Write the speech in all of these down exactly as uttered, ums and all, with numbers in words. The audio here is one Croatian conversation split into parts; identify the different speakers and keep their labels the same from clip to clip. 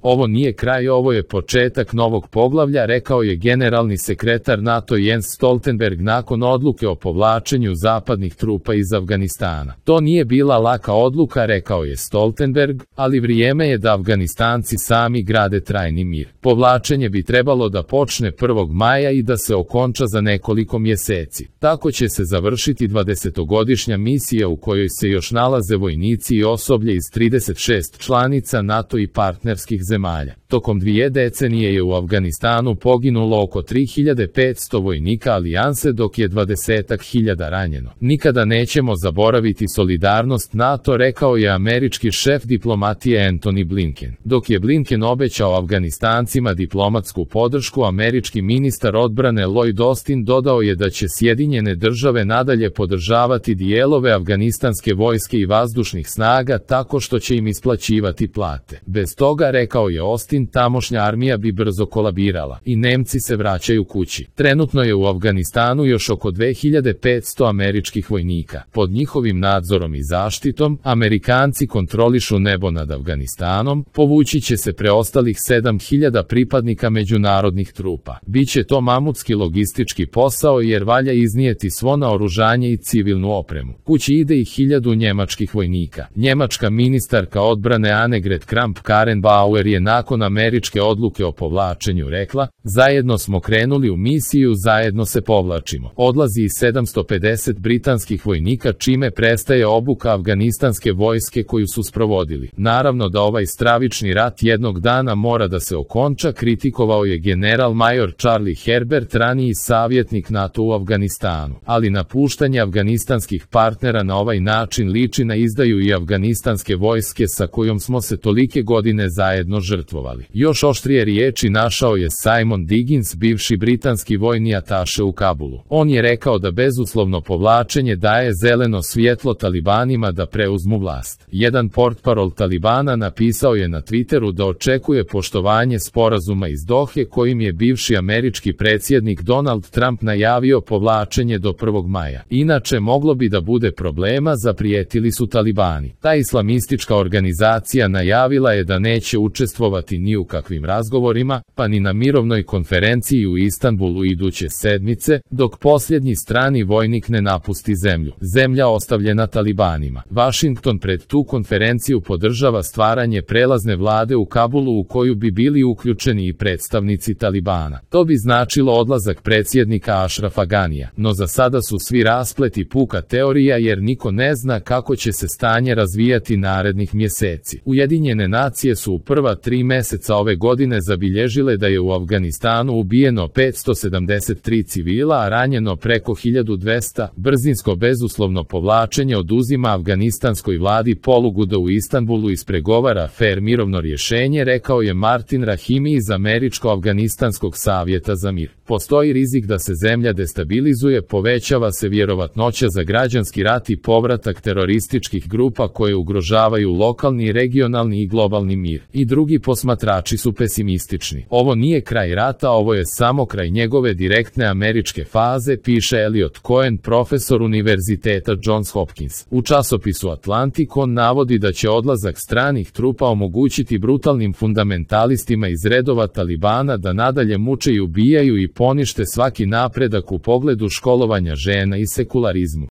Speaker 1: Ovo nije kraj, ovo je početak novog poglavlja, rekao je generalni sekretar NATO Jens Stoltenberg nakon odluke o povlačenju zapadnih trupa iz Afganistana. To nije bila laka odluka, rekao je Stoltenberg, ali vrijeme je da Afganistanci sami grade trajni mir. Povlačenje bi trebalo da počne prvog maja i da se okonča za nekoliko mjeseci. Tako će se završiti dvadesetogodišnja misija u kojoj se još nalaze vojnici i osoblje iz trideset šest članica NATO i partnerskih zemalja. Tokom dvije decenije je u Afganistanu poginulo oko tri hiljade petsto vojnika alijanse, dok je dvadesetak hiljada ranjeno. Nikada nećemo zaboraviti solidarnost NATO, rekao je američki šef diplomatije Antony Blinken. Dok je Blinken obećao Afganistancima diplomatsku podršku, američki ministar odbrane Lloyd Austin dodao je da će Sjedinjene države nadalje podržavati dijelove afganistanske vojske i vazdušnih snaga tako što će im isplaćivati plate. Bez toga, rekao je Austin, tamošnja armija bi brzo kolabirala i Nemci se vraćaju kući. Trenutno je u Afganistanu još oko dve hiljade petsto američkih vojnika. Pod njihovim nadzorom i zaštitom, Amerikanci kontrolišu nebo nad Afganistanom, povući će se preostalih sedam hiljada pripadnika međunarodnih trupa. Biće to mamutski logistički posao jer valja iznijeti svo naoružanje i civilnu opremu. Kući ide i hiljadu njemačkih vojnika. Njemačka ministarka odbrane Annegret Kramp-Karrenbauer je nakon američke odluke o povlačenju rekla: zajedno smo krenuli u misiju, zajedno se povlačimo. Odlazi i sedamsto pedeset britanskih vojnika, čime prestaje obuka afganistanske vojske koju su sprovodili. Naravno da ovaj stravični rat jednog dana mora da se okonča, kritikovao je general major Charlie Herbert, raniji savjetnik NATO u Afganistanu. Ali napuštanje afganistanskih partnera na ovaj način liči na izdaju i afganistanske vojske sa kojom smo se tolike godine zajedno žrtvovali. Još oštrije riječi našao je Simon Diggins, bivši britanski vojni ataše u Kabulu. On je rekao da bezuslovno povlačenje daje zeleno svjetlo talibanima da preuzmu vlast. Jedan portparol Talibana napisao je na Twitteru da očekuje poštovanje sporazuma iz Dohe kojim je bivši američki predsjednik Donald Trump najavio povlačenje do prvog maja. Inače moglo bi da bude problema, zaprijetili su Talibani. Ta islamistička organizacija najavila je da neće učestvovati ni u kakvim razgovorima, pa ni na mirovnoj konferenciji u Istanbulu iduće sedmice, dok posljednji strani vojnik ne napusti zemlju. Zemlja ostavljena Talibanima. Washington pred tu konferenciju podržava stvaranje prelazne vlade u Kabulu u koju bi bili uključeni i predstavnici Talibana. To bi značilo odlazak predsjednika Ashrafa Ganija, no za sada su svi raspleti puka teorija jer niko ne zna kako će se stanje razvijati narednih mjeseci. Ujedinjene nacije su u prva tri mjeseca ove godine zabilježile da je u Afganistanu ubijeno petsto sedamdeset tri civila, a ranjeno preko hiljadu dvesta. Brzinsko bezuslovno povlačenje oduzima afganistanskoj vladi polugu da u Istanbulu ispregovara fer mirovno rješenje, rekao je Martin Rahimi iz Američko-afganistanskog savjeta za mir. Postoji rizik da se zemlja destabilizuje, povećava se vjerovatnoća za građanski rat i povratak terorističkih grupa koje ugrožavaju lokalni, regionalni i globalni mir. I drugi posmatrači su pesimistični. Ovo nije kraj rata, ovo je samo kraj njegove direktne američke faze, piše Elliot Cohen, profesor Univerziteta Johns Hopkins. U časopisu Atlantic on navodi da će odlazak stranih trupa omogućiti brutalnim fundamentalistima iz redova Talibana da nadalje muče i ubijaju i ponište svaki napredak u pogledu školovanja žena i sekularizmu.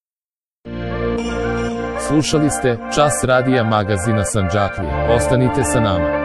Speaker 1: Slušali ste Čas radija magazina Sandžaklija. Ostanite sa nama.